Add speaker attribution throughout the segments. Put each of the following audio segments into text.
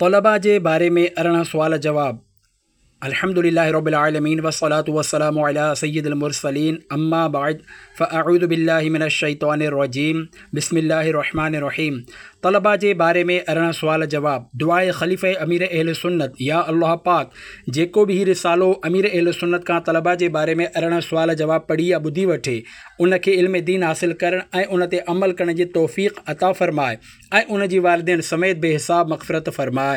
Speaker 1: طلبا جي باري ۾ 18 سوال جواب. الحمد لله رب العالمين والصلاة والسلام علي سيد المرسلين اما بعد فاعوذ بالله من الشيطان الرجيم بسم الله الرحمن الرحيم طلبا جي باري ۾ 18 سوال جواب. دعاء خليفه امير اهل سنت يا الله پاڪ جيڪو به هي رسالو امير اهل سنت کان طلبا جي باري ۾ 18 سوال جواب پڙهي يا ٻڌي وٺي ان کي علم دين حاصل ڪرڻ ۽ ان تي عمل ڪرڻ جي توفيق عطا فرماء ۽ ان جي والدين سميت بي حساب مغفرت فرماء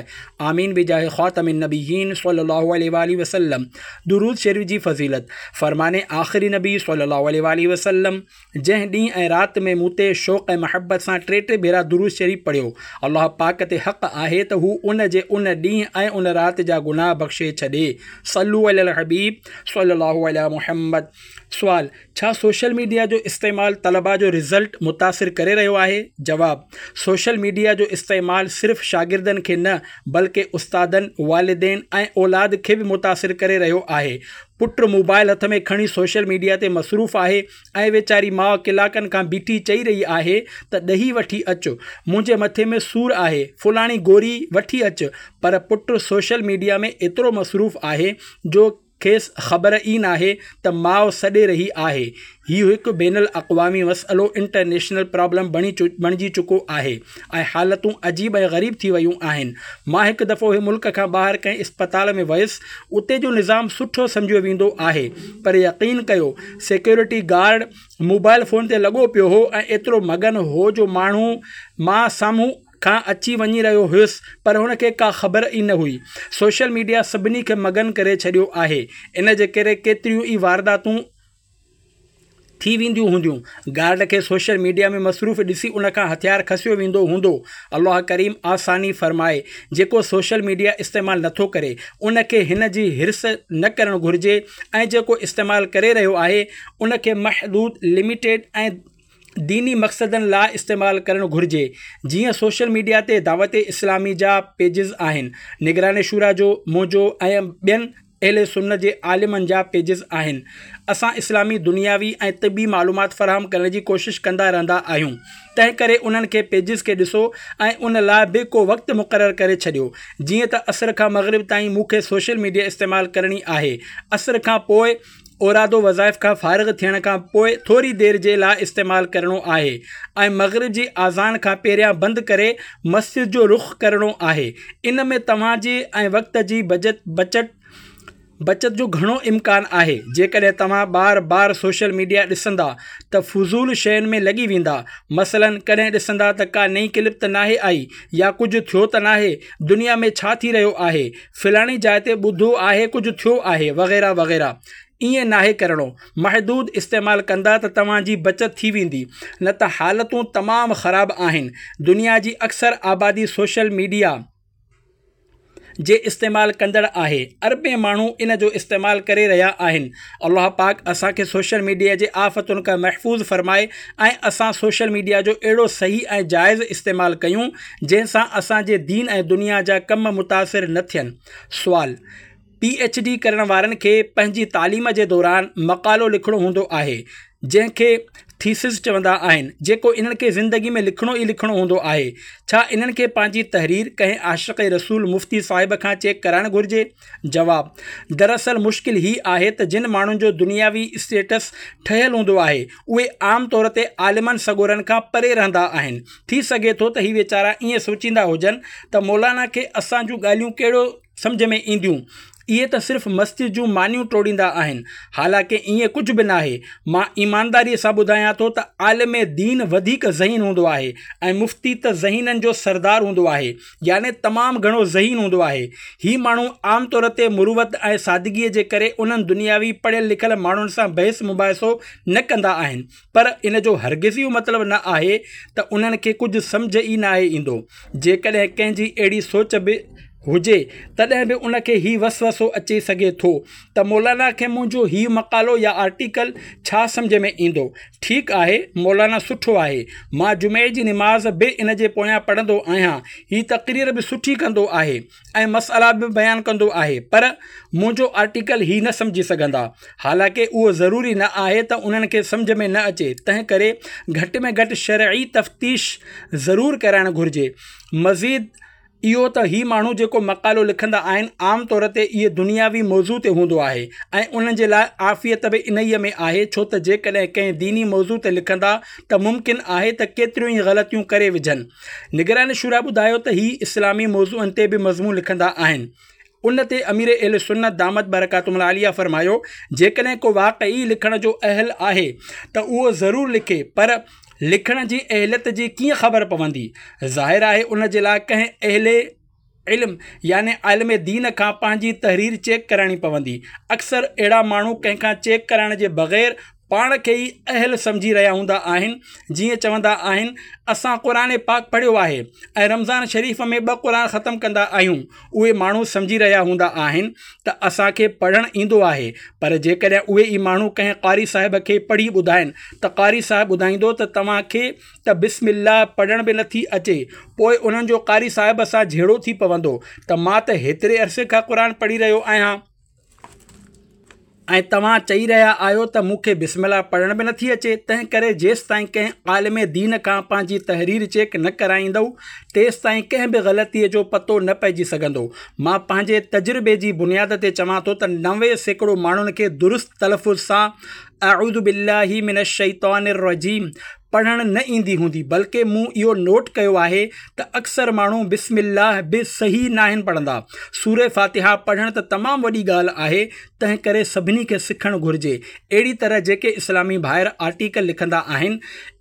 Speaker 1: آمين بجاه خاتم النبيين صلي الله عليه واٰله وسلم. درود شريف جي فضيلت، فرمان آخري نبي صلي الله عليه واٰله وسلم، جنهن ڏينهن ۽ رات ۾ مون تي شوق ۽ محبت سان ٽي ٽي ڀيرا درود شريف پڙهيو، الله پاڪ تي حق آهي ته هو ان جي ان ڏينهن ۽ ان رات جا گناهه بخشي ڇڏي. صلو علي الحبيب صلي الله علي محمد. سوال، ڇا سوشل ميڊيا جو استعمال طلبا جو رزلٽ متاثر ڪري رهيو آهي؟ جواب، سوشل ميڊيا جو استعمال صرف شاگردن کي نه بلڪه استادن، والدين ۽ اولاد کي به متاثر ڪري رهيو آهي. پٽ موبائل هٿ ۾ کڻي سوشل ميڊيا تي مصروف آهي ۽ ويچاري ماء ڪلاڪن کان بيٺي چئي رهي آهي ته ڏهي وٺي اچ، منهنجي مٿي ۾ سور آهي، فلاڻي گوري وٺي اچ پر پٽ سوشل ميڊيا ۾ ايترو مصروف آهي جو کيس خبر ئي ناهي ته ماء سڏي رهي آهي. هي هڪ بين الاقوامي مسئلو، انٽرنيشنل پرابلم، بڻجي چڪو آهي ۽ حالتون عجيب ۽ غريب ٿي ويون آهن. مان هڪ دفعو هي ملڪ کان ٻاهر ڪنهن اسپتال ۾ ويس، اتي جو نظام سٺو سمجهيو ويندو آهي پر يقين ڪيو سيڪيورٽي گارڊ موبائل فون تي لڳو پيو هو ۽ ايترو مگن هو جو ماڻهو مان سامهون کان اچي وڃي رهيو هيس پر هن کي ڪا خبر ئي نه هئي. سوشل ميڊيا سڀني کي مگن ڪري ڇڏيو آهي. ان جي ڪري ڪيتريون ئي وارداتون ٿي وينديون هونديون. گارڊ کي سوشل ميڊيا ۾ مصروف ڏسي ان کان هٿيار کسيو ويندو هوندو. الله ڪريم آساني فرمائي. جيڪو سوشل ميڊيا استعمال نٿو ڪري ان کي هن جي حرص نه ڪرڻ گهرجي ۽ جيڪو استعمال ڪري رهيو آهي ان کي محدود، Limited، ۽ ديني مقصدن لاء استعمال ڪرڻ گهرجي جيئن سوشل ميڊيا تي دعوت اسلامي جا پيجز آهن نگران شوريٰ جو منهنجو ۽ ٻين اهل سنت جي عالمن جا پيجز آهن اسان اسلامي دنياوي ۽ طبي معلومات فراهم ڪرڻ جي ڪوشش ڪندا رهندا آهيون تنهن ڪري انهن کي پيجز کي ڏسو ۽ ان لاء به ڪو وقت مقرر ڪري ڇڏيو جيئن ته عصر کان مغرب تائين مون کي سوشل ميڊيا استعمال ڪرڻي آهي عصر کان پوء اوراد و وظائف کان فارغ ٿيڻ کان پوء ٿوري دير جي لاء استعمال ڪرڻو آهي ۽ مغرب جي اذان کان پهريان بند ڪري مسجد جو رخ ڪرڻو آهي ان ۾ توهان جي ۽ وقت جي بچت بچت جو گهڻو امڪان آهي جيڪڏهن توهان بار بار سوشل ميڊيا ڏسندا ته فضول شين ۾ لڳي ويندا مثلا ڪڏهن ڏسندا ته ڪا نئين ڪلپ ته ناهي آئي يا ڪجهه ٿيو ته ناهي دنيا ۾ ڇا ٿي رهيو آهي فلاڻي جاء تي ٻڌو آهي ڪجهه ٿيو آهي وغيره وغيره ائين ناهي ڪرڻو محدود استعمال ڪندا ته توهان جي بچت ٿي ويندي نه ته حالتون تمام خراب آهن دنيا جي اڪثر آبادي سوشل ميڊيا جي استعمال ڪندڙ آهي اربين ماڻهو ان جو استعمال ڪري رهيا آهن الله پاڪ اسان کي سوشل ميڊيا جي آفتن کان محفوظ فرمائي ۽ اسان سوشل ميڊيا جو اهڙو صحيح ۽ جائز استعمال ڪيون جنهن سان اسان جي دين ۽ دنيا جا ڪم متاثر نه ٿين. سوال، پي ايڇ ڊي ڪرڻ وارن کي پنهنجي تعليم جي دوران مقالو لکڻو هوندو آهي جنهن کي ٿيسز چوندا آهن جيڪو انهن کي زندگي ۾ لکڻو ئي لکڻو هوندو آهي ڇا انهن کي پنهنجي تحرير ڪنهن عاشق رسول مفتي صاحب کان چيڪ ڪرائڻ گهرجي؟ جواب، دراصل مشڪل هي آهي ته جن ماڻهن جو دنياوي اسٽيٽس ٺهيل هوندو آهي اهي عام طور تي عالمن سڳورن کان پري رهندا آهن ٿي سگهي ٿو ته هي ويچارا ائين سوچيندا هجن ته مولانا کي اسان جون ڳالهيون ڪهڙو سمجهه ۾ اينديون اهي ته صرف مسجد جون مانيون ٽوڙيندا آهن حالانڪه ائين ڪجهه به ناهي مان ايمانداري سان ٻڌايان ٿو ته عالم دين وڌيڪ ذهين هوندو آهي ۽ مفتي ته ذهينن جو سردار هوندو آهي يعني تمام گهڻو ذهين هوندو آهي هي ماڻهو عام طور تي مروت ۽ سادگي جي ڪري انهن دنياوي پڙهيل لکيل ماڻهن سان بحث مباحثو نه ڪندا آهن پر ان جو هرگز اهو مطلب نه آهي ته انهن کي ڪجهه سمجهه ئي ناهي ايندو. جيڪڏهن ڪنهن جي اهڙي سوچ به هجي تڏهن به ان کي هي وسوسو اچي سگهي ٿو ته مولانا کي منهنجو هي مقالو يا آرٽيڪل ڇا سمجهه ۾ ايندو. ٺيڪ آهي مولانا سٺو آهي، مان جمعي جي نماز به ان جي پويان پڙهندو آهيان، هي تقرير به سٺي ڪندو آهي. ۽ مسئلا به بيان ڪندو آهي پر منهنجو آرٽيڪل هي نه سمجهي سگهندا حالانڪه اهو ضروري نه آهي ته انهن کي سمجهه ۾ نه اچي تنهن ڪري گهٽ ۾ گهٽ شرعي تفتيش ضرور ڪرائڻ گهرجي مزيد. اهو ته هي ماڻهو جيڪو مقالو لکندا آهن عام طور تي اهي دنياوي موضوع تي هوندو آهي ۽ انهن جي لاء عافيت به انهيء ۾ آهي ڇو ته جيڪڏهن ڪنهن ديني موضوع تي لکندا ته ممڪن آهي ته ڪيتريون ئي غلطيون ڪري وجهن. نگران شوريٰ ٻڌايو ته هي اسلامي موضوعن تي به مضمون لکندا آهن. ان تي امير اهل سنت دامت برڪاتهم العاليه فرمايو جيڪڏهن ڪو واقعي لکڻ جو اهل آهي ته اهو ضرور لکي پر لکڻ جي اهليت جي ڪيئن خبر پوندي؟ ظاهر آهي ان جي لاء ڪنهن اهل علم يعني عالم دين کان پنهنجي تحرير چيڪ ڪرائڻي پوندي. اڪثر اهڙا ماڻهو ڪنهن کان چيڪ ڪرائڻ جي بغير پاڻ کي ئي اهل سمجهي رهيا هوندا آهن، جيئن چوندا آهن اسان قرآن پاڪ پڙهيو آهي ۽ رمضان شريف ۾ ٻه قرآن ختم ڪندا آهيون. اهي ماڻهو سمجهي رهيا هوندا آهن ته اسان کي پڙهڻ ايندو آهي پر جيڪڏهن اهي ئي ماڻهو ڪنهن قاري صاحب کي پڙهي ٻڌائن ته قاري صاحب ٻڌائيندو ته توهان کي ته بسم الله پڙهڻ به نٿي اچي پوء انهن جو قاري صاحب سان جهيڙو ٿي پوندو ته مان ته هيتري عرصي کان قرآن پڙهي رهيو آهيان. ۽ توهان چئي رهيا آهيو ته مون کي بسم الله پڙهڻ به نٿي اچي، تنهن ڪري جيستائين ڪنهن عالم دين کان پنهنجي تحرير چيڪ نه ڪرائيندؤ، تيستائين ڪنهن به غلطيء جو پتو نه پئجي سگهندو. مان پنهنجي تجربي جي بنياد تي چوان ٿو ته 90% ماڻهن کي درست تلفظ سان اعوذ بالله من الشيطان الرجيم پڙهڻ نه ايندي هوندي بلڪه مون اهو نوٽ ڪيو آهي ته اڪثر ماڻهو بسم الله به صحيح ناهن پڙهندا. سوره فاتحه پڙهڻ ته تمام وڏي ڳالهه آهي تنهن ڪري سڀني کي سکڻ گهرجي. اهڙي طرح جيڪي اسلامي ڀائر آرٽيڪل لکندا آهن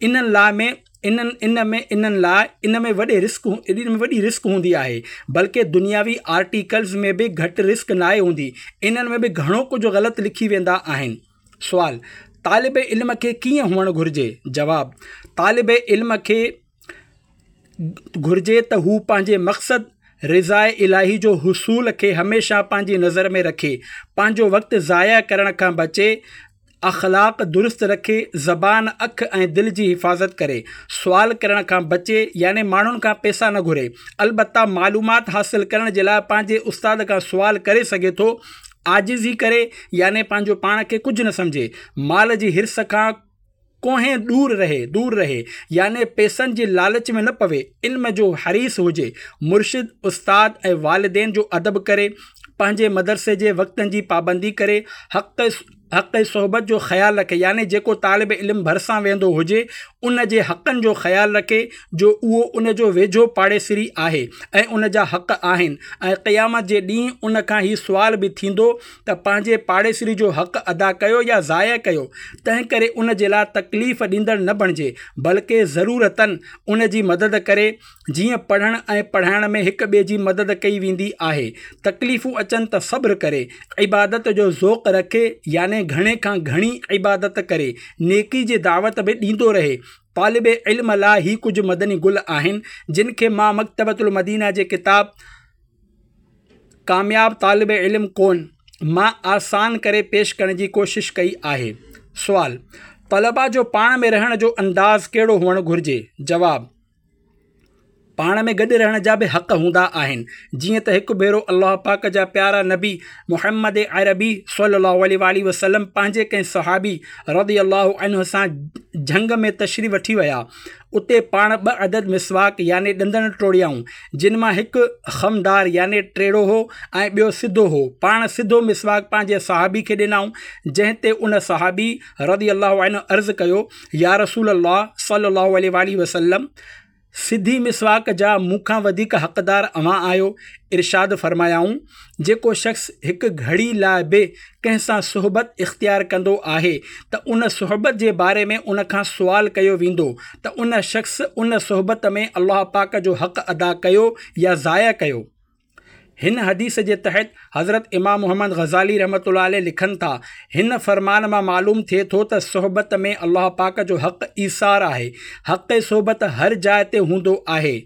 Speaker 1: انهن لاء ۾ انهن ان ۾ انهن لاء ان ۾ وڏي رسڪ ان ۾ وڏي رسڪ هوندي آهي بلڪه دنياوي آرٽيڪلز ۾ به گهٽ رسڪ ناهي هوندي انهن ۾ به گهڻو ڪجهه غلط لکي ويندا آهن. سوال، طالب علم کي ڪيئن هئڻ گهرجي؟ جواب، طالب علم کي گهرجي ته هو پنهنجي مقصد رضاء الاهي جو حصول کي هميشه پنهنجي نظر ۾ رکي، پنهنجو وقت ضايع ڪرڻ کان بچي، اخلاق درست رکي، زبان، اک ۽ دل جي حفاظت ڪري، سوال ڪرڻ کان بچي يعني ماڻهن کان پئسا نه گهري، البته معلومات حاصل ڪرڻ جي لاء پنهنجي استاد کان سوال ڪري سگهي ٿو، عاجزي ڪري يعني پنهنجو پاڻ کي ڪجهه نه سمجهي، مال جي حرص کان ڪوهين ڏور رهي، دور رهي، يعني پئسن جي لالچ ۾ نه پوي، علم جو حريص هجي، مرشد، استاد ۽ والدين جو ادب ڪري، پنهنجي مدرسي جي وقتن جي پابندي ڪري، حق حق صحبت جو خيال رکي يعني جيڪو طالب علم ڀرسان ويهندو هجي ان جي حقن جو خيال رکي جو اهو ان جو ويجهو پاڙيسري آهي ۽ ان جا حق آهن ۽ قيامت جي ڏينهن ان کان هي سوال به ٿيندو ته پنهنجي پاڙيسري جو حق ادا ڪيو يا ضايع ڪيو تنهن ڪري ان جي لاء تڪليف ڏيندڙ نه بڻجي بلڪه ضرورتن ان جي مدد ڪري جيئن پڙهڻ ۽ پڙهائڻ ۾ هڪ ٻئي جي مدد ڪئي ويندي آهي. تڪليفون اچن ته صبر ڪري، عبادت جو ذوق رکي يعني گهڻي کان گهڻي عبادت ڪري، نيڪي جي دعوت به ڏيندو رهي. طالب علم لاء هي ڪجهه مدني گل آهن، جن کي مان مڪتبة المدينه جي ڪتاب ڪامياب طالب علم ڪون مان آسان ڪري پيش ڪرڻ جي ڪوشش ڪئي آهي. سوال، طلبا جو پاڻ ۾ رهڻ جو انداز ڪهڙو هئڻ گهرجي؟ جواب. پاڻ ۾ گڏ رهڻ جا به حق هوندا آهن جيئن ته هڪ ڀيرو الله پاڪ جا پيارا نبي محمد عربي صلي الله عليه واٰله وسلم پنهنجي ڪنهن صحابي رضي الله عنه سان جهنگ ۾ تشريف وٺي ويا اتي پاڻ ٻه عدد مسواڪ يعني ڏندڻ ٽوڙيائون جن مان هڪ خمدار يعني ٽيڙو هو ۽ ٻيو سڌو هو پاڻ سڌو مسواڪ پنهنجي صحابي کي ڏنائون جنهن تي ان صحابي رضي الله عنه عرض ڪيو يا رسول الله صلي الله عليه واٰله وسلم سڌي مسواڪ جا مون کان وڌيڪ حقدار اوهان آهيو ارشاد فرمايائون جيڪو شخص هڪ گهڙي لاء به ڪنهن سان صحبت اختيار ڪندو آهي ته ان صحبت جي باري ۾ ان کان سوال ڪيو ويندو ته ان شخص ان صحبت ۾ الله پاڪ جو حق ادا ڪيو يا ضايع ڪيو هن حديث جي تحت حضرت امام محمد غزالي رحمة الله عليه لکن ٿا، هن فرمان مان معلوم ٿئي ٿو ته صحبت ۾ الله پاڪ جو حق ايثار آهي. حق صحبت هر جاء تي هوندو آهي.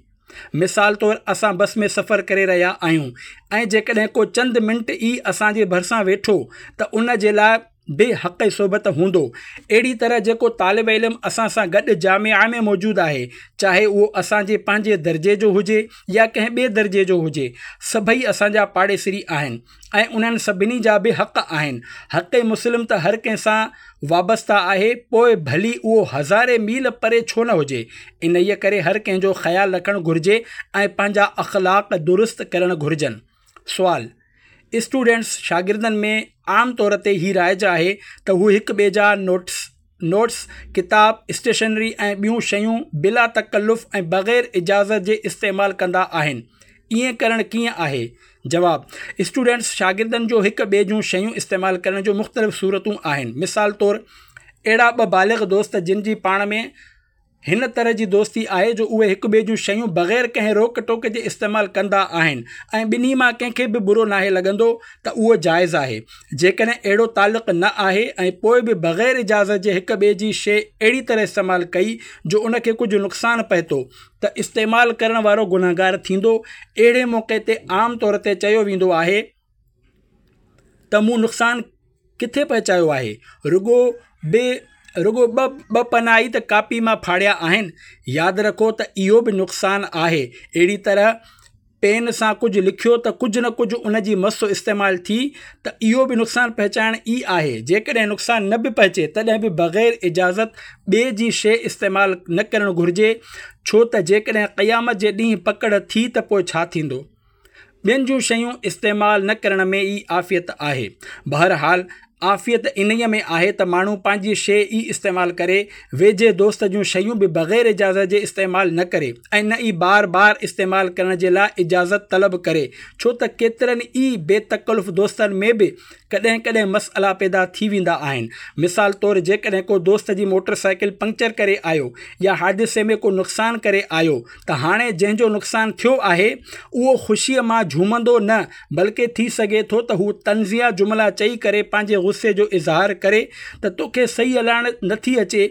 Speaker 1: مثال طور اسان بس ۾ سفر ڪري رهيا آهيون ۽ جيڪڏهن ڪو چند منٽ ئي اسان جي ڀرسان ويٺو ته ان جي لاء. به حق صحبت هوندو. اهڙي طرح جيڪو طالب علم اسان سان گڏ جامعه ۾ موجود آهي، چاهي اهو اسان جي پنهنجي درجي جو هجي يا ڪنهن ٻئي درجي جو هجي، سڀئي اسان جا پاڙيسري آهن ۽ انهن سڀني جا به حق آهن. حق مسلم ته هر ڪنهن سان وابسته آهي، پوء ڀلي اهو هزارين ميل پري ڇو نه هجي. انهيء ڪري هر ڪنهن جو خيال رکڻ گهرجي ۽ پنهنجا اخلاق درست ڪرڻ گهرجن. سوال، اسٽوڊنٽس، شاگردن، ۾ عام طور تي هي رائج آهي ته هو هڪ ٻئي جا نوٽس، Notes، ڪتاب، اسٽيشنري ۽ ٻيون شيون بلا تڪلف ۽ بغير اجازت جي استعمال ڪندا آهن. ائين ڪرڻ ڪيئن آهي؟ جواب، اسٽوڊنٽس، شاگردن، جو هڪ ٻئي جون شيون استعمال ڪرڻ جون مختلف صورتون آهن. مثال طور اهڙا ٻه بالغ دوست جن جي پاڻ ۾ هن طرح جي دوستي آهي جو اهي هڪ ٻئي جون شيون بغير ڪنهن روڪ ٽوڪ جي استعمال ڪندا آهن ۽ ٻنهي مان ڪنهن کي به برو ناهي لڳندو ته اهو جائز آهي. جيڪڏهن اهڙو تعلق نه آهي ۽ پوء به بغير اجازت جي هڪ ٻئي جي شيء اهڙي طرح استعمال ڪئي جو ان کي ڪجهه نقصان پهتو ته استعمال ڪرڻ وارو گنهگار ٿيندو. اهڙي موقعي تي عام طور تي چيو ويندو آهي ته مون نقصان ڪٿي پهچايو آهي؟ رڳو به رڳو ٻه ٻه پنا ئي ته ڪاپي مان ڦاڙيا آهن. ياد رکو ته اهو به نقصان آهي. اهڙي طرح پين سان ڪجهه لکيو ته ڪجهه نه ڪجهه ان جي مس استعمال ٿي ته اهو به نقصان پهچائڻ ئي آهي. جيڪڏهن نقصان نه به پهچي تڏهن به بغير اجازت ٻئي جي شيء استعمال نه ڪرڻ گهرجي ڇو ته جيڪڏهن قيامت جي ڏينهن پڪڙ ٿي ته پوء ڇا ٿيندو؟ ٻين جون شيون استعمال نه ڪرڻ ۾ ئي عافيت آهي. بهرحال عافيت انهيء ۾ آهي ته ماڻهو پنهنجي شيء ئي استعمال ڪري، ويجهي دوست جون شيون به بغير اجازت جي استعمال نه ڪري ۽ نه ئي بار بار استعمال ڪرڻ جي لاء اجازت طلب ڪري ڇو ته ڪيترن ئي بي تڪلف دوستن ۾ به ڪڏهن ڪڏهن مسئلا پيدا ٿي ويندا آهن. مثال طور جيڪڏهن ڪو دوست جي موٽر سائيڪل پنڪچر ڪري آيو يا حادثي ۾ ڪو نقصان ڪري آيو ته هاڻي جنهن جو نقصان ٿيو آهي اهو خوشيء مان جهومندو نه بلڪه ٿي سگهي ٿو ته هو طنزيه جملا چئي ڪري پنهنجي غصي جو اظهار ڪري ته توکي صحيح هلائڻ نٿي اچي،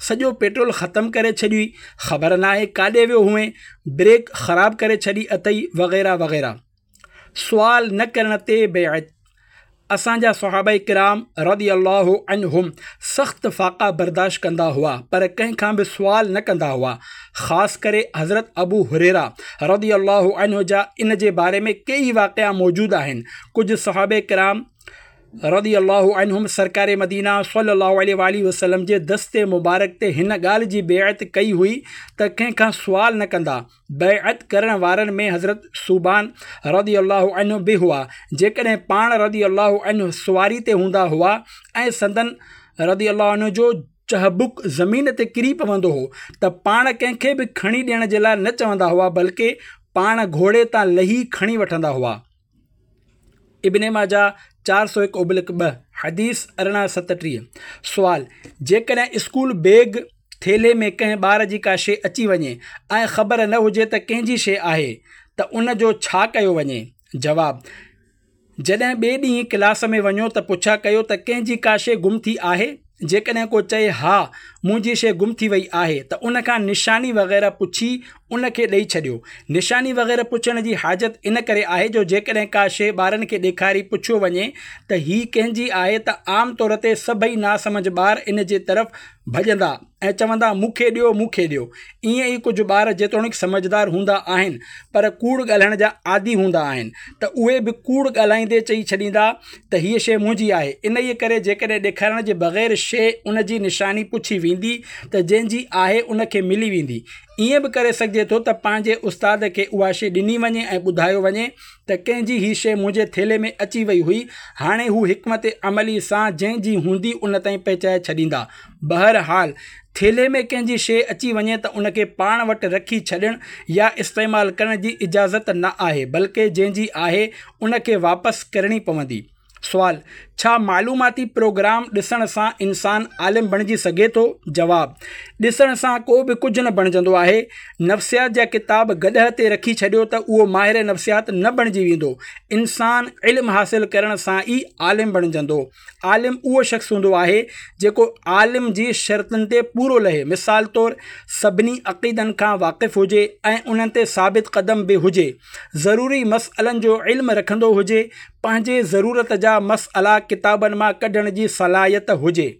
Speaker 1: سڄو پيٽرول ختم ڪري ڇڏيئي، خبر ناهي ڪاڏي ويو هئين، بريڪ خراب ڪري ڇڏي اٿئي وغيره وغيره. سوال نه ڪرڻ تي بيعت، اسان جا صحابه ڪرام رضي الله عنهم سخت فاقا برداشت ڪندا هئا پر ڪنهن کان به سوال نه ڪندا هئا خاص ڪري حضرت ابو هريره رضي الله عنه جا ان جي باري ۾ ڪيئي واقعا موجود آهن ڪجهه صحابه ڪرام رضي الله عنهم سرڪار مدينه صلي الله عليه واٰله وسلم جي دست مبارڪ تي هن ڳالهه جي بيعت ڪئي هئي ته ڪنهن کان سوال نه ڪندا بيعت ڪرڻ وارن ۾ حضرت ثوبان رضي الله عنه به هئا، جيڪڏهن پاڻ رضي الله عنه سواري تي هوندا هئا ۽ سندن رضي الله عنه جو چهبڪ زمين تي ڪري پوندو هو ته پاڻ ڪنهن کي به کڻي ڏيڻ جي لاء نه چوندا هئا بلڪه پاڻ گهوڙي تان لهي کڻي وٺندا هئا. ابن ماجه 401/2، حديث 1837. سوال، جيڪڏهن اسڪول بيگ، ٿيلهي، ۾ ڪنهن ٻار جي ڪا شيء اچي وڃي ۽ خبر نه هجي ته ڪنهن جي شيء آهي ته ان جو ڇا ڪيو وڃي؟ جواب، جڏهن ٻئي ڏينهن ڪلاس ۾ وڃو ته پڇا ڪيو ته ڪنهن جي ڪا شيء گم ٿي آهي؟ جيڪڏهن ڪو چئي ها منهنجي شيء گم ٿي وئي آهي ته ان کان نشاني وغيره پڇي ان کي ڏئي ڇڏيو. نشاني وغيره پڇڻ جي حاجت ان ڪري آهي جو جيڪڏهن ڪا شيء ٻارن کي ڏيکاري پڇيو وڃي ته هي ڪنهن جي آهي ته عام طور تي سڀئي ناسمجهه ٻار ان جي طرف ڀڄندا ۽ چوندا مون کي ڏيو مون کي ڏيو. ائين ئي ڪجهه ٻار جيتوڻيڪ سمجهدار هوندا آهن پر ڪوڙ ڳالهائڻ جا عادي هوندا آهن ته اهي به ڪوڙ ڳالهائيندي چئي ڇڏيندا ته هيء شيء منهنجي آهي. انهيء ڪري جيڪڏهن ڏيکارڻ جي بغير شيء ان جي نشاني پڇي ويندي ته جنهن جي آهي ان کي ملي ويندي. ائين به ڪري سگهجي ٿو ته پنهنجي استاد کي اها شيء ڏني وڃي ۽ ٻڌايو وڃي ته ڪنهن جي هي شيء منهنجي ٿيلهي ۾ اچي وئي هئي، هاڻي هو حڪمت عملي سان جنهن جي هوندي ان تائين پهچائي ڇڏيندا. بهرحال ٿيلهي ۾ ڪنهن جي شيء اچي وڃي ته ان کي پاڻ وٽ رکي ڇڏڻ يا استعمال ڪرڻ جي اجازت نه آهي بلڪه جنهن جي آهي ان کي واپس ڪرڻي پوندي. سوال، ڇا معلوماتي پروگرام ڏسڻ سان انسان عالم بڻجي سگهي ٿو؟ جواب، ڏسڻ سان ڪو به ڪجهه نه بڻجندو آهي. نفسيات جا ڪتاب گڏهه تي رکي ڇڏيو ته اهو ماهر نفسيات نه بڻجي ويندو. انسان علم حاصل ڪرڻ سان ئي عالم بڻجندو. عالم اهو شخص هوندو آهي جيڪو عالم جي شرطن تي پورو لهي. مثال طور سڀني عقيدن کان واقف هجي ۽ انهن تي ثابت قدم به هجي. ضروري مسئلن جو علم رکندو هجي، پنهنجي ضرورت جا مسئلا ڪتابن مان ڪڍڻ جي صلاحيت هجي.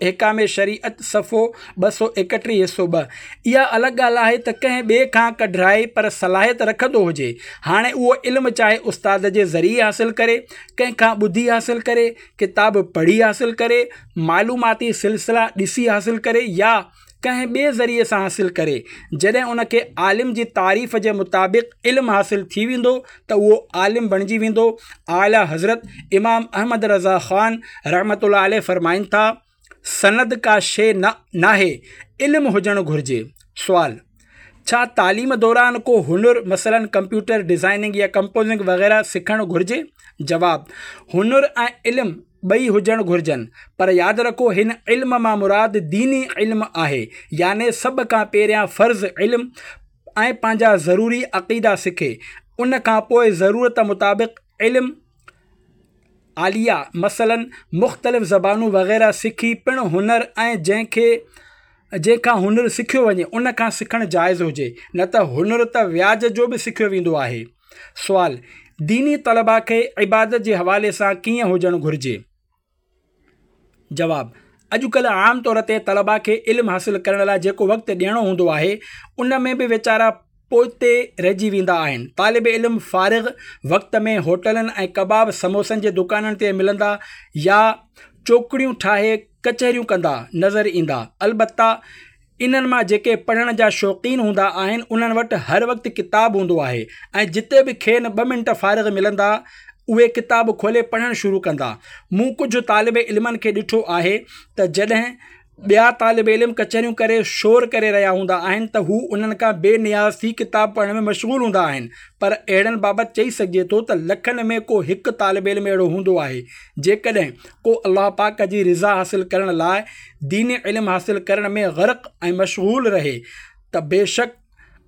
Speaker 1: احڪام شريعت صفحو 231 حصو ٻه. اها الڳ ڳالهه آهي ته ڪنهن ٻئي کان ڪڍرائي پر صلاحيت رکندو هجي. هاڻي اهو علم چاهي استاد جي ذريعي حاصل ڪري، ڪنهن کان ٻڌي حاصل ڪري، ڪتاب پڙهي حاصل ڪري، معلوماتي سلسلا ڏسي حاصل ڪري يا ڪنهن ٻئي ذريعي سان حاصل ڪري، جڏهن ان کي عالم جي تعريف جي مطابق علم حاصل ٿي ويندو ته اهو عالم بڻجي ويندو. اعليٰ حضرت امام احمد رضا خان رحمة الله عليه فرمائن ٿا، سند ڪا شيء ناهي، علم هجڻ گهرجي. سوال، ڇا تعليم دوران ڪو هنر مثلاً ڪمپيوٽر ڊزائننگ يا ڪمپوزنگ وغيره سکڻ گهرجي؟ جواب، هنر ۽ علم ٻئي هجڻ گهرجن پر ياد رکو هن علم مان مراد ديني علم آهي يعني سڀ کان پهريان فرض علم ۽ پنهنجا ضروري عقيدا سکي ان کان پوء ضرورت مطابق علم عاليه مثلا مختلف زبانون وغيره سکي پڻ هنر ۽ جنهن کي جنهن کان هنر سکيو وڃي ان کان سکڻ جائز هجي نه ته هنر ته وياج جو به سکيو ويندو آهي. سوال، ديني طلبا کي عبادت جي حوالي سان ڪيئن هجڻ گهرجي؟ جواب، اڄڪلهه عام طور تي طلبا کي علم حاصل ڪرڻ لاء جيڪو وقت ڏيڻو هوندو آهي ان ۾ به ويچارا پوئتي رهجي ويندا آهن. طالب علم فارغ وقت ۾ هوٽلن ۽ ڪباب سموسن جي دڪانن تي ملندا يا چوڪڙيون ٺاهي ڪچهريون ڪندا نظر ايندا. البته انهن مان جيڪي پڙهڻ جا شوقين هوندا آهن انهن وٽ هر وقت ڪتاب هوندو آهي ۽ جتي به کين ٻه منٽ فارغ ملندا اهي ڪتاب کولي پڙهڻ شروع ڪندا. مون ڪجهه طالب علمن کي ڏٺو آهي ته جڏهن ٻيا طالب علم ڪچهريون ڪري شور ڪري رهيا هوندا آهن ته هو انهن کان بي نياز ٿي ڪتاب پڙهڻ ۾ مشغول هوندا آهن پر اهڙن بابت چئي سگهجي ٿو ته لکن ۾ ڪو هڪ طالب علم اهڙو هوندو آهي جيڪڏهن ڪو الله پاڪ جي رضا حاصل ڪرڻ لاء ديني علم حاصل ڪرڻ ۾ غرق ۽ مشغول رهي ته بيشڪ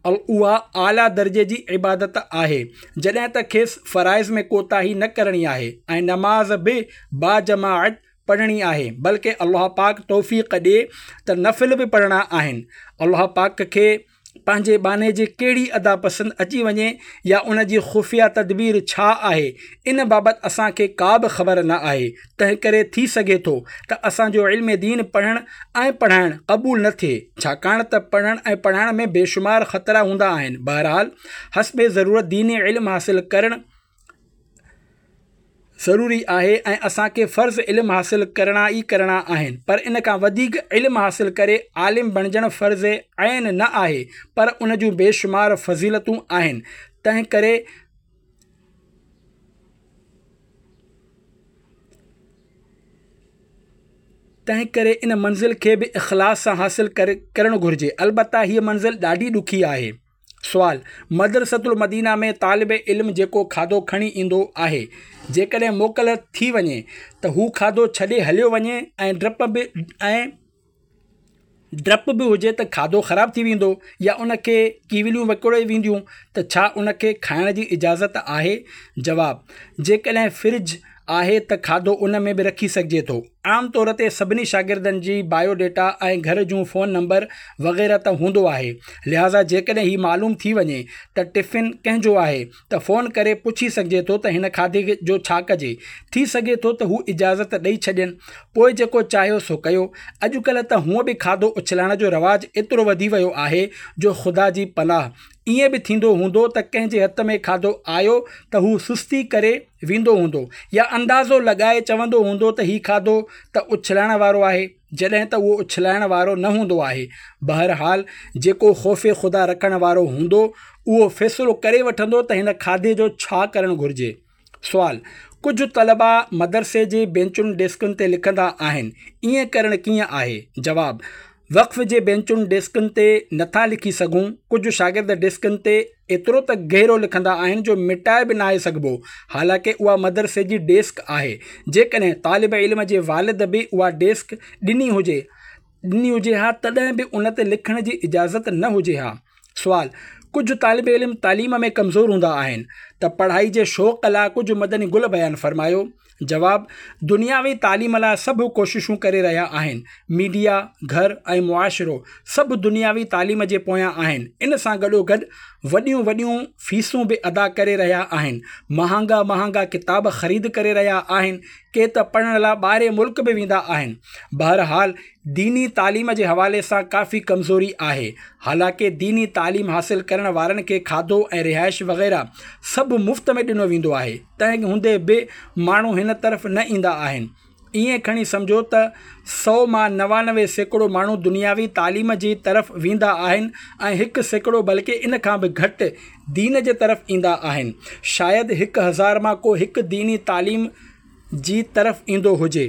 Speaker 1: اها اعليٰ درجي جي عبادت آهي جڏهن ته کيس فرائض ۾ ڪوتاهي نه ڪرڻي آهي ۽ نماز به باجماعت پڙهڻي آهي بلڪه الله پاڪ توفيق ڏي ته نفل به پڙهڻا آهن الله پاڪ کي پنهنجي ٻانهي جي ڪهڙي ادا پسند اچي وڃي يا ان جي خفيه تدبير ڇا آهي ان بابت اسان کي ڪا به خبر نه آهي تنهنڪري ٿي سگهي ٿو ته اسان جو علم دين پڙهڻ ۽ پڙهائڻ قبول نه ٿئي ڇاڪاڻ ته پڙهڻ ۽ پڙهائڻ ۾ بيشمار خطرا هوندا آهن بهرحال حسب ضرورت ديني علم حاصل ڪرڻ ضروري آهي ۽ اسان کي فرض علم حاصل ڪرڻا ئي ڪرڻا آهن پر ان کان وڌيڪ علم حاصل ڪري عالم بڻجڻ فرض عين نه آهي پر ان جون بيشمار فضيلتون آهن تنهن ڪري تنهن ڪري ان منزل کي به اخلاص سان حاصل ڪرڻ گهرجي البته هيء منزل ڏاڍي ڏکي آهي. سوال، مدرسة المدينه ۾ طالب علم جيڪو کاڌو کڻي ايندو آهي، جيڪڏهن موڪل ٿي وڃي ته هو کاڌو ڇڏي هليو وڃي ۽ ڊپ به ۽ ڊپ به هجي ته کاڌو خراب ٿي ويندو يا ان کي ڪيوليون وڪوڙي وينديون ته ڇا ان کي کائڻ جي اجازت آهي؟ جواب، جيڪڏهن فرج آهي ته کاڌو ان ۾ به رکي سگهجي ٿو. عام طور تي سڀني شاگردن جي بايو ڊيٽا ۽ گهر جون فون نمبر وغيره ته هوندو آهي لهٰذا جيڪڏهن هي معلوم ٿي وڃي ته ٽفن ڪنهن جو آهي ته فون ڪري پڇي سگهجي ٿو ته هن کاڌي جو ڇا ڪجي ٿي سگهي ٿو ته هو اجازت ڏئي ڇڏين پوء جيڪو چاهيو سو ڪيو اڄڪلهه ته هونء به کاڌو اڇلائڻ جو رواج ايترو وڌي ويو آهي جو خدا جي پناهه ائين به ٿيندو هوندو ته ڪنهن جي هٿ ۾ کاڌو آيو ته هو سستي ڪري ويندو هوندو يا اندازو لڳائي چوندو هوندو ته هي کاڌو ته اڇلائڻ وارو آهي جڏهن ته اهو اڇلائڻ وارو نه هوندو آهي. بهرحال جيڪو خوف خدا رکڻ وارو هوندو اهو فيصلو ڪري وٺندو ته هن کاڌي جو ڇا ڪرڻ گهرجي. سوال، ڪجهه طلبا مدرسي جي بينچن ڊيسڪن تي لکندا آهن، ائين ڪرڻ ڪيئن آهي؟ جواب، وقف جي بينچن ڊيسڪن تي نٿا لکي سگهون، ڪجهه شاگرد ڊيسڪن تي ايترو ته گهرو لکندا آهن جو مٽائي به ناهي سگهبو، حالانڪه اها مدرسي جي ڊيسڪ آهي، جيڪڏهن طالب علم جي والد به اها ڊيسڪ ڏني هجي ڏني هجي ها تڏهن به ان تي لکڻ جي اجازت نه هجي ها. سوال، ڪجهه طالب علم تعليم ۾ ڪمزور هوندا آهن ته پڙهائي جي شوق لاء ڪجهه مدني گل بيان فرمايو. جواب، دنياوي تعليم لاء سڀ ڪوششون ڪري رهيا آهن. ميڊيا، گهر ۽ معاشرو سڀ دنياوي تعليم جي پويان آهن. ان سان گڏوگڏ وڏيون وڏيون فيسون به ادا ڪري رهيا آهن. مهانگا مهانگا ڪتاب خريد ڪري رهيا آهن. ڪي ته پڙهڻ لاء ٻاهرين ملڪ به ويندا آهن. بهرحال ديني تعليم جي حوالي سان ڪافي ڪمزوري آهي. حالانڪه ديني تعليم حاصل ڪرڻ وارن کي کاڌو ۽ رهائش وغيره سڀ مفت ۾ ڏنو ويندو آهي، تنهن هوندي به ماڻهو هن طرف نه ايندا آهن. ائين کڻي سمجهو ته سئو مان 99% ماڻهو دنياوي تعليم جي طرف ويندا آهن ۽ 1% بلڪه ان کان به گهٽ دين جي طرف ايندا آهن. شايد 1000 مان ڪو هڪ ديني تعليم جي طرف ايندو هجي.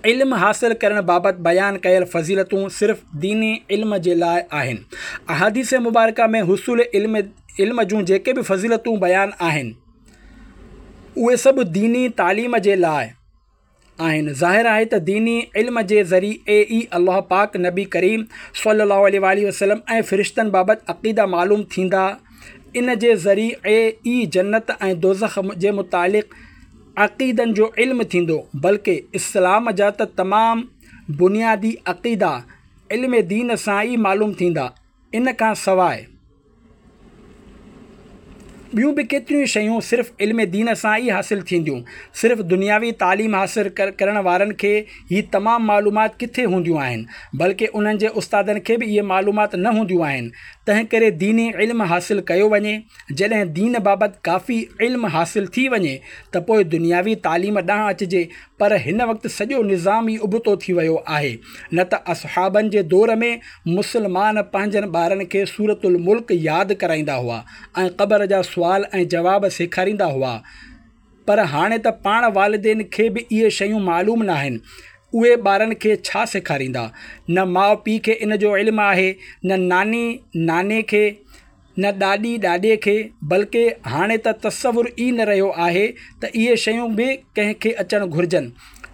Speaker 1: علم حاصل ڪرڻ بابت بيان ڪيل فضيلتون صرف ديني علم جي لاء آهن. احاديث مبارڪه ۾ حصول علم علم جون جيڪي به فضيلتون بيان آهن اهي سڀ ديني تعليم جي لاء آهن. ظاهر آهي ته ديني علم جي ذريعي ئي الله پاڪ، نبي ڪريم صلي الله عليه واٰله وسلم ۽ فرشتن بابت عقيدا معلوم ٿيندا. ان جي ذريعي ئي جنت ۽ دوزخ جي متعلق عقيدن جو علم ٿيندو، بلڪه اسلام جا ته تمام بنيادي عقيدا علم دين سان ئي معلوم ٿيندا. ان کان سواء ٻيون به ڪيتريون شيون صرف علم دين سان ئي حاصل ٿينديون. صرف دنياوي تعليم حاصل ڪرڻ وارن کي هي تمام معلومات ڪٿي هونديون آهن، بلڪه انهن جي استادن کي به اهي معلومات نه هونديون آهن. تنهنڪري ديني علم حاصل ڪيو وڃي. جڏهن دين بابت ڪافي علم حاصل ٿي وڃي ته پوء دنياوي تعليم ڏانهن اچجي پر هن وقت سڄو نظام ئي ابتو ٿي ويو آهي نه ته اصحابن جي دور ۾ مسلمان پنهنجن ٻارن کي سورة الملڪ ياد ڪرائيندا هئا ۽ قبر جا سوال ۽ جواب سيکاريندا هئا پر هاڻي ته پاڻ والدين کي به اهي شيون معلوم ناهن اهي ٻارن کي ڇا سيکاريندا نه ماء پيء کي ان جو علم آهي نه ناني ناني کي نه ڏاڏي ڏاڏي کي، بلڪه هاڻي ته تصور ئي نه رهيو آهي ته اهي شيون به ڪنهن کي اچڻ گهرجن.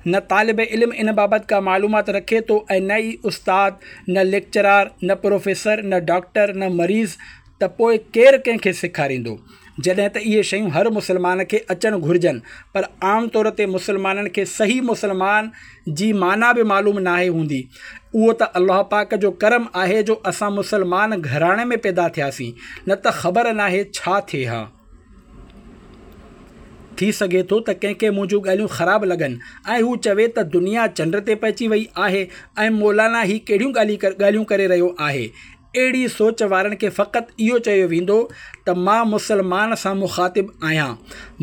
Speaker 1: نه طالب علم ان بابت ڪا معلومات رکي ٿو ۽ نه ئي استاد، نه ليڪچرار، نه پروفيسر، نه ڊاڪٽر، نه مريض ته پوء ڪير ڪنهن کي سيکاريندو؟ جڏهن ته اهي شيون هر مسلمان کي اچڻ گهرجن پر عام طور تي مسلمانن کي صحيح مسلمان جي معنيٰ به معلوم ناهي هوندي. اهو ته الله پاڪ جو ڪرم آهي جو اسان مسلمان گهراڻي ۾ پيدا ٿياسين نه ته خبر ناهي ڇا ٿئي ها. ٿي سگهي ٿو ته ڪنهن کي منهنجون ڳالهيون خراب لڳن ۽ هو چوي ته دنيا چنڊ تي پهچي وئي آهي ۽ مولانا هي ڪهڙيون ڳالهيون ڪري رهيو آهي. اهڙي سوچ وارن کي فقط اهو چيو ويندو ته مان مسلمان سان مخاطب آهيان.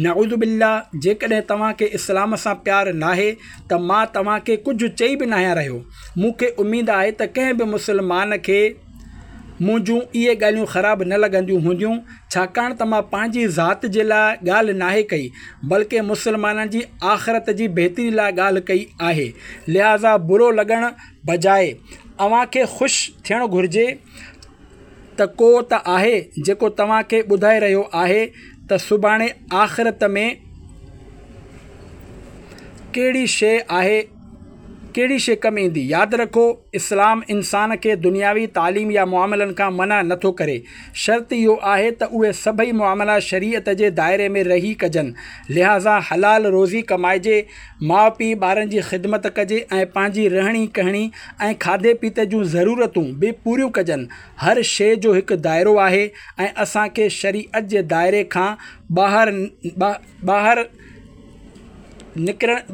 Speaker 1: نعوذ بالله جيڪڏهن توهان کي اسلام سان پيار ناهي ته مان توهان کي ڪجهه چئي به ناهيان رهيو. مون کي اميد آهي ته ڪنهن به مسلمان کي منهنجون اهي ڳالهيون خراب نه لڳنديون هونديون ڇاڪاڻ ته مان پنهنجي ذات جي لاء ڳالهه ناهي ڪئي بلڪه مسلمانن جي آخرت جي بهتري لاء ڳالهه ڪئي آهي لهٰذا برو لڳڻ بجاء اوهان کي خوش ٿيڻ گهرجي ته ڪو ته آهي جيڪو توهان کي ٻڌائي رهيو آهي ته سڀاڻي آخرت ۾ ڪهڙي شيء آهي ڪهڙي شيء ڪم ايندي. ياد رکو اسلام انسان کي دنياوي تعليم يا معاملن کان منع نٿو ڪري شرط اهو آهي ته اهي سڀئي معاملا شريعت جي دائري ۾ رهي ڪجن لهٰذا حلال روزي ڪمائجي ماء پيء ٻارن جي خدمت ڪجي ۽ پنهنجي رهڻي ڪهڻي ۽ کاڌي پيتي جون ضرورتون به پوريون ڪجن. هر شيء جو هڪ دائرو آهي ۽ اسان کي شريعت جي دائري کان ٻاهر ٻاهر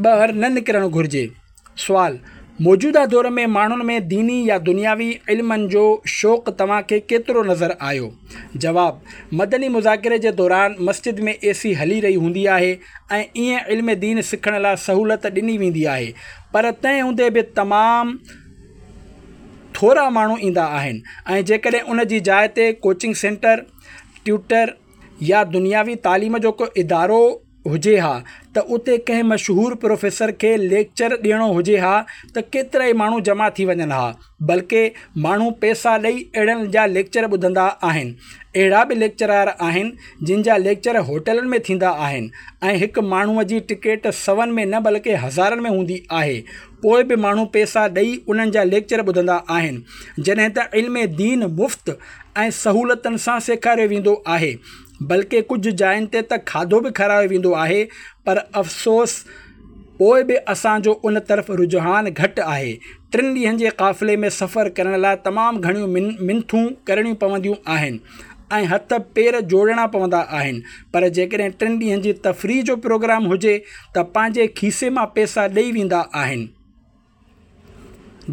Speaker 1: ٻاهر نه نڪرڻ گهرجي. سوال، موجوده دور ۾ ماڻهن ۾ ديني يا دنياوي علمن جو شوق توهان کي ڪيترو نظر آيو؟ جواب، مدني مذاڪري جي دوران مسجد ۾ اي سي هلي رهي هوندي آهي ۽ ائين علم دين سکڻ لاء سهولت ڏني ويندي آهي پر تنهن هوندي به تمام ٿورا ماڻهو ايندا آهن ۽ جيڪڏهن ان جي جاء تي ڪوچنگ سينٽر، ٽيوٽر يا دنياوي تعليم جو ڪو ادارو هجي ها ته اتي ڪنهن مشهور پروفيسر کي ليڪچر ڏيڻو هجي ها ته ڪيترائي ماڻهو جمع ٿي وڃن ها بلڪه ماڻهو پئسا ڏئي اهڙن جا ليڪچر ٻڌندا آهن. اهڙا به ليڪچرار آهن جن جا ليڪچر هوٽلن ۾ ٿيندا آهن ۽ هڪ ماڻهوء جي ٽڪيٽ سون ۾ نه بلڪه هزارن ۾ هوندي آهي پوء به ماڻهو پئسا ڏئي انهن جا ليڪچر ٻڌندا آهن جڏهن ته علم دين مفت ۽ سهولتن سان سيکاريو ويندو آهي. بلڪه ڪجهه جاين تي ته کاڌو به کارايو ويندو آهي پر افسوس پوء به اسان جو ان طرف رجحان گهٽ آهي. ٽن ڏينهن جي قافلي ۾ سفر ڪرڻ لاء تمام گهڻيون منٿون ڪرڻيون پونديون آهن ۽ هٿ پير جوڙڻا پوندا آهن پر جيڪڏهن ٽن ڏينهن جي تفريح جو پروگرام هجي ته پنهنجي کيسي مان پئسا ڏئي ويندا آهن.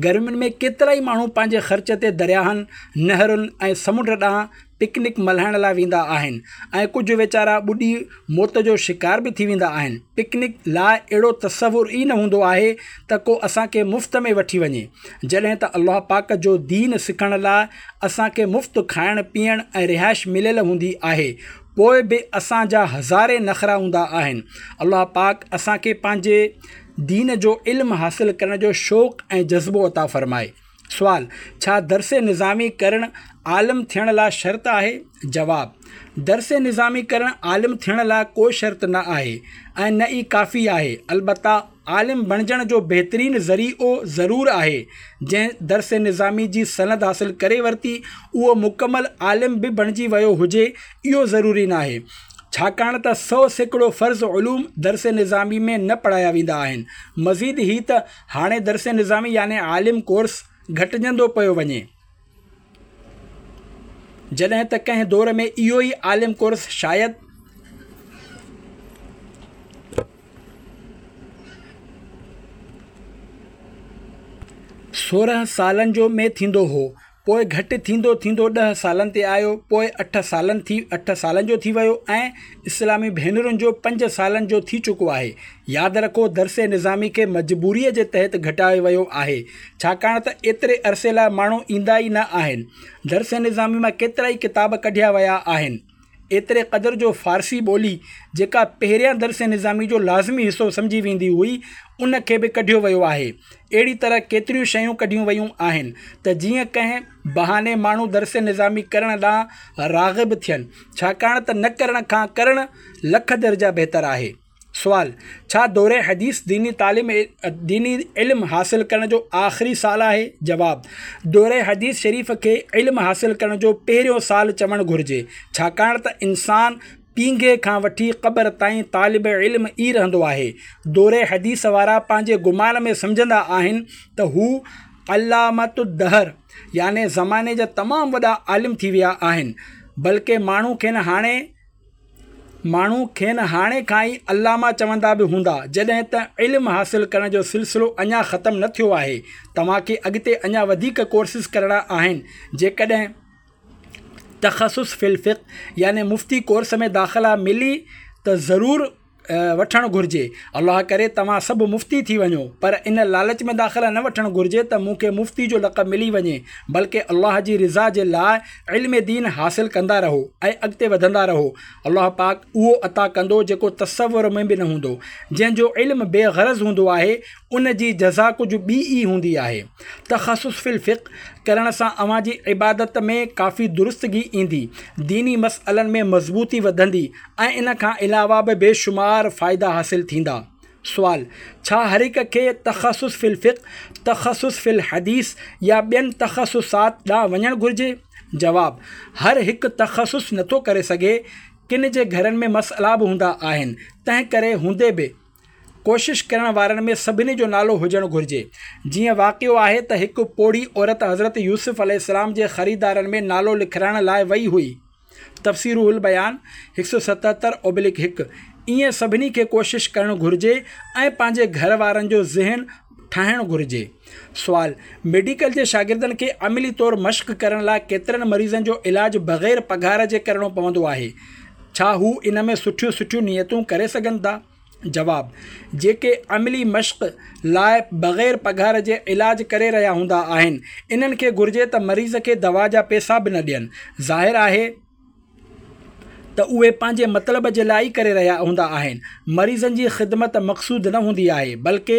Speaker 1: گرمين ۾ ڪيترائي ماڻهو پنهنجي خرچ تي درياهن، نهرن ۽ سمنڊ ڏانهن پڪنڪ ملهائڻ لاء ويندا آهن ۽ ڪجهه ويچارا ٻڏي موت جو شڪار به ٿي ويندا آهن. پڪنڪ لاء اهڙو تصور ئي نه هوندو آهي ته ڪو اسان کي مفت ۾ وٺي وڃي. جڏهن ته الله پاڪ جو دين سکڻ لاء اسان کي مفت کائڻ پيئڻ ۽ رهائش مليل هوندي آهي پوء به اسان جا هزارين نخرا هوندا آهن. الله پاڪ اسان کي پنهنجي دين جو علم حاصل ڪرڻ جو شوق ۽ جذبو عطا فرمائي. سوال، ڇا درس نظامي ڪرڻ عالم ٿيڻ لاء شرط آهي؟ جواب، درس نظامي ڪرڻ عالم ٿيڻ لاء ڪو شرط نه آهي ۽ نه ئي ڪافي آهي، البته عالم بڻجڻ جو بهترين ذريعو ضرور آهي، جنهن درس نظامي جي سند حاصل ڪري ورتي اهو مڪمل عالم به بڻجي ويو هجي اهو ضروري ناهي. ڇاڪاڻ ته 100% فرض علوم درس نظامي ۾ نه پڙهايا ويندا آهن. مزيد هي ته هاڻي درس نظامي يعني عالم ڪورس گهٽجندو پيو وڃي. جڏهن ته ڪنهن دور ۾ اهو ئي عالم ڪورس شايد 16 سالن جو ۾ ٿيندو هو. پوء گهٽ ٿيندو ٿيندو ڏهه سالن تي آيو، پوء 8 سالن جو ٿي ويو ۽ اسلامي ڀينرن جو 5 سالن جو ٿي چڪو آهي. ياد رکو درس نظامي کي مجبوريء جي تحت گهٽايو ويو آهي، ڇاڪاڻ ته ايتري عرصي لاء ماڻهو ايندا ئي نه آهن. درس نظامي مان ڪيترائي ڪتاب ڪڍيا ويا آهن. ايتري قدر جو فارسي ٻولي، جيڪا پهريان درس نظامي جو لازمي حصو سمجهي ويندي هئي، ان کي به ڪڍيو ويو آهي. اهڙي طرح ڪيتريون شيون ڪڍيون ويون آهن ته جيئن ڪنهن بهاني ماڻهو درس نظامي ڪرڻ ڏانهن راغب ٿين، ڇاڪاڻ ته نه ڪرڻ کان ڪرڻ لک درجا بهتر آهي. سوال، ڇا دوره حديث ديني تعليم ديني علم حاصل ڪرڻ جو آخري سال آهي؟ جواب، دوره حديث شريف کي علم حاصل ڪرڻ جو پهريون سال چوڻ گهرجي، ڇاڪاڻ ته انسان پينگهي کان وٺي قبر تائين طالب علم ئي رهندو آهي. دوره حديث وارا پنهنجي گمان ۾ سمجهندا آهن ته هو علامة الدهر يعني زماني جا تمام وڏا عالم ٿي ويا آهن، بلڪه ماڻهو کين هاڻي ماڻهو کين هاڻي کان ئي علامه چوندا به هوندا، جڏهن ته علم حاصل ڪرڻ جو سلسلو اڃا ختم نه ٿيو آهي، توهان کي اڳتي اڃا وڌيڪ ڪورسز ڪرڻا آهن، جيڪڏهن تخصص في الفقه يعني مفتي ڪورس ۾ داخلا ملي ته ضرور وٺڻ گهرجي، الله ڪري توهان سڀ مفتي ٿي وڃو، پر ان لالچ ۾ داخلا نه وٺڻ گهرجي ته مون کي مفتي جو لقب ملي وڃي، بلڪه الله جي رضا جي لاء علم دين حاصل ڪندا رهو ۽ اڳتي وڌندا رهو، الله پاڪ اهو عطا ڪندو جيڪو تصور ۾ به نه هوندو، جنهن جو علم بي غرض هوندو آهي ان جي جزا ڪجهه ٻي ئي هوندي آهي. تخصص في الفقه ڪرڻ سان اوهان جي عبادت ۾ ڪافي درستگي ايندي، ديني مسئلن ۾ مضبوطي وڌندي ۽ ان کان علاوه به بيشمار فائدا حاصل ٿيندا. سوال، ڇا هر هڪ کي تخصص في الفقه، تخصص في الحديث يا ٻين تخصصات ڏانهن وڃڻ گهرجي؟ جواب، هر هڪ تخصص نٿو ڪري سگهي، ڪن جي گهرن ۾ مسئلا به هوندا آهن، تنهن ڪري هوندي به ڪوشش ڪرڻ وارن ۾ سڀني جو نالو هجڻ گهرجي. جيئن واقعو آهي ته هڪ پوڙهي عورت حضرت يوسف عليه السلام جي خريدارن ۾ نالو لکرائڻ لاء وئي هئي. تفسير روح البيان 177/1 ائين سڀني کي ڪوشش ڪرڻ گهرجي ۽ پنهنجي گهر وارن جو ذهن ٺاهڻ گهرجي. سوال، ميڊيڪل جي شاگردن کي عملي طور مشق ڪرڻ لاء ڪيترن مريضن جو علاج بغير پگهار جي ڪرڻو پوندو آهي. ڇا هو ان ۾ سٺيون سٺيون نيتون ڪري سگهن ٿا؟ جواب، جيڪي عملي مشق لاء بغير پگهار جي علاج ڪري رهيا هوندا آهن، انهن کي گهرجي ته مريض کي دوا جا پئسا به نه ڏين. ظاهر آهي ته اهي پنهنجي مطلب جي لاء ئي ڪري رهيا هوندا آهن. مريضن جي خدمت مقصود نه هوندي آهي، بلڪه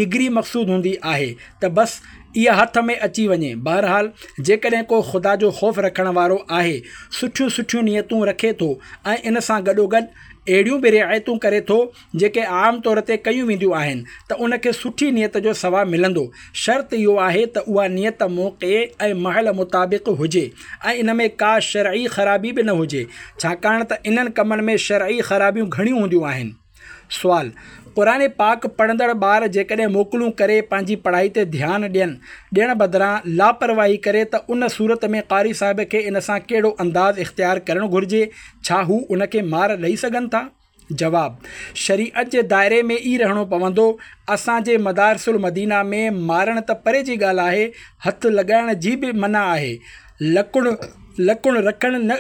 Speaker 1: ڊگري مقصود هوندي آهي ته بس. اها هٿ ۾ اچي وڃي. بهرحال جيڪڏهن ڪو خدا جو خوف رکڻ وارو آهي، سٺيون سٺيون نيتون رکي ٿو ۽ ان سان گڏوگڏ اهڙيون به رعايتون ڪري ٿو جيڪي عام طور تي ڪيون وينديون آهن ته ان کي سٺي نيت جو ثواب ملندو. شرط اهو آهي ته اها نيت موقعي ۽ محل مطابق هجي ۽ ان ۾ ڪا شرعي خرابي به نه هجي، ڇاڪاڻ ته انهن ڪمن ۾ شرعي خرابيون گهڻيون هونديون آهن. سوال، قرآن پاڪ پڙهندڙ ٻار جيڪڏهن موڪلون ڪري پنهنجي پڙهائي تي ڌيان ڏين ڏيڻ بدران لاپرواهي ڪري ته ان صورت ۾ قاري صاحب کي ان سان ڪهڙو انداز اختيار ڪرڻ گهرجي؟ ڇا هو ان کي مار ڏئي سگهن ٿا؟ جواب، شريعت جي دائري ۾ ئي رهڻو پوندو. اسان جي مدارس المدينه ۾ مارڻ ته پري جي ڳالهه آهي، هٿ لڳائڻ جي به منع آهي. لڪڻ لڪڻ رکڻ نه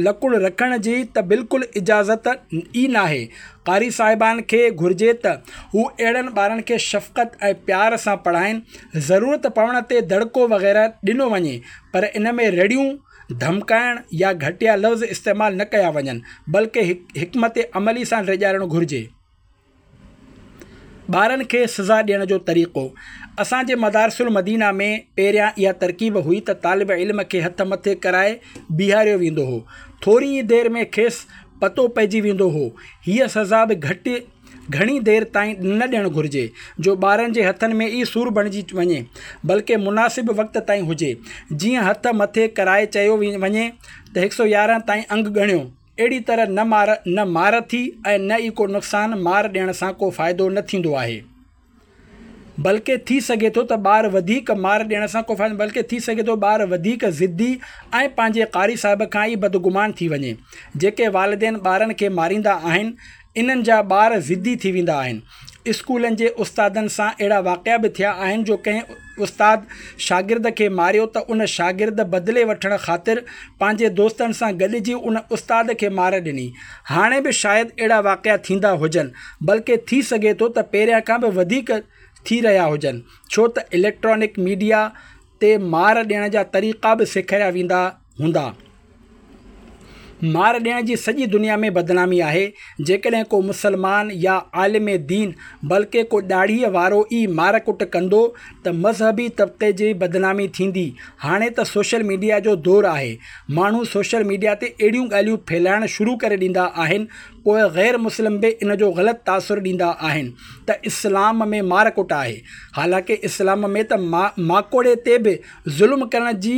Speaker 1: لڪڻ رکڻ جي ته بلڪل اجازت ئي ناهي. قاري صاحبان کي گهرجي ته هو اهڙن ٻارن کي شفقت ۽ پيار سان پڙهائين. ضرورت پوڻ تي دڙڪو وغيره ڏنو وڃي پر ان ۾ رڙيون، ڌمڪائڻ يا گهٽيا لفظ استعمال نه ڪيا وڃن بلڪه حڪمت عملي سان ڊيڄارڻ گهرجي. ٻارن کي سزا ڏيڻ جو طريقو، اسان جي مدارس المدينه ۾ پهريان اها ترڪيب هئي ته طالب علم کي هٿ مٿي ڪرائي بيهاريو ويندو هو. ٿوري ئي دير ۾ کيس پتو پئجي ويندو هو. هيء سزا به گهٽ گهڻي دير تائين نه ڏيڻ گهرجي، جو ٻارن جي هٿن ۾ ئي سور بڻجي وڃي، بلڪه مناسب وقت تائين هجي. جيئن هٿ مٿي ڪرائي چيو وڃي ته هڪ سؤ 11 تائين انگ ڳڻيو. اهڙي طرح نه مار نه مار ٿي ۽ نه ئي ڪو نقصان، مار ڏيڻ سان ڪو فائدو نه ٿيندو آهي، بلڪه ٿي سگهي ٿو ته ٻار وڌيڪ مار ڏيڻ سان ڪو فائدو بلڪه ٿي سگهي ٿو ٻار وڌيڪ ضدي ۽ پنهنجي قاري صاحب کان ئي بدگمان ٿي وڃي. جيڪي والدين ٻارن کي ماريندا آهن، انهن جا ٻار ضدي ٿي ويندا آهن. اسڪولن جي استادن سان اهڙا واقعا به ٿيا آهن جو ڪنهن استاد شاگرد کي ماريو ته ان شاگرد بدلي وٺڻ خاطر پنهنجي دوستن سان گڏجي ان استاد کي مار ڏني. هاڻي به شايد اهڙا واقعا ٿيندا هجن بلڪه ٿي سگهي ٿو ته پهريان کان به وڌيڪ ٿي رهيا هجن ڇو ته اليڪٽرانڪ ميڊيا تي مار ڏيڻ جا طريقا به سيکاريا ويندا هوندا. مار ڏيڻ جي سڄي دنيا ۾ بدنامي آهي. جيڪڏهن ڪو مسلمان يا عالم دين بلڪه ڪو ڏاڙهيء وارو ئي مار ڪٽ ڪندو ته مذهبي طبقي جي بدنامي ٿيندي. هاڻي ته سوشل ميڊيا جو دور آهي. ماڻهو سوشل ميڊيا تي اهڙيون ڳالهيون ڦهلائڻ شروع ڪري ڏيندا آهن پوء غير مسلم به ان جو غلط تاثر ڏيندا آهن ته اسلام ۾ مار ڪٽ آهي. حالانڪه اسلام ۾ ته ماڪوڙي تي به ظلم ڪرڻ جي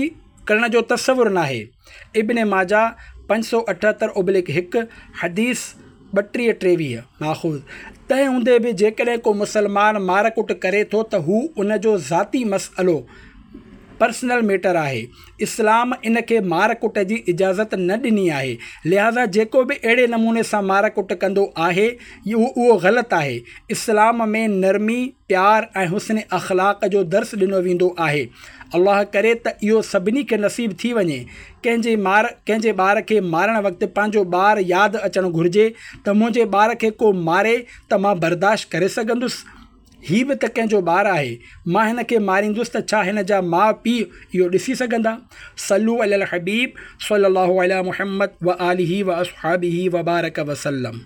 Speaker 1: ڪرڻ جو تصور ناهي. ابن ماجه 578/1، حديث 32 23، ماخوذ. تنهن هوندي به جيڪڏهن ڪو مسلمان مار ڪٽ ڪري ٿو ته هو ان جو ذاتي مسئلو، Personal Matter، آهي. اسلام ان کي مار ڪٽ جي اجازت نه ڏني آهي. لهٰذا جيڪو به اهڙي نموني سان مار ڪٽ ڪندو آهي اهو غلط آهي. اسلام ۾ نرمي، پيار ۽ حسن اخلاق جو درس ڏنو ويندو آهي. الله ڪري ته اهو سڀني کي نصيب ٿي وڃي. ڪنهن جي مار ڪنهن جي ٻار کي مارڻ وقت پنهنجو ٻار ياد اچڻ گهرجي ته منهنجي ٻار کي ڪو ماري ته مان برداشت ڪري سگهندس؟ هي به ته ڪنهن جو ٻار آهي. مان هن کي ماريندس ته ڇا هن جا ماء پيء اهو ڏسي سگهندا؟ صلو علي الحبيب صلي الله علي محمد وآله واصحابه وبارڪ وسلم.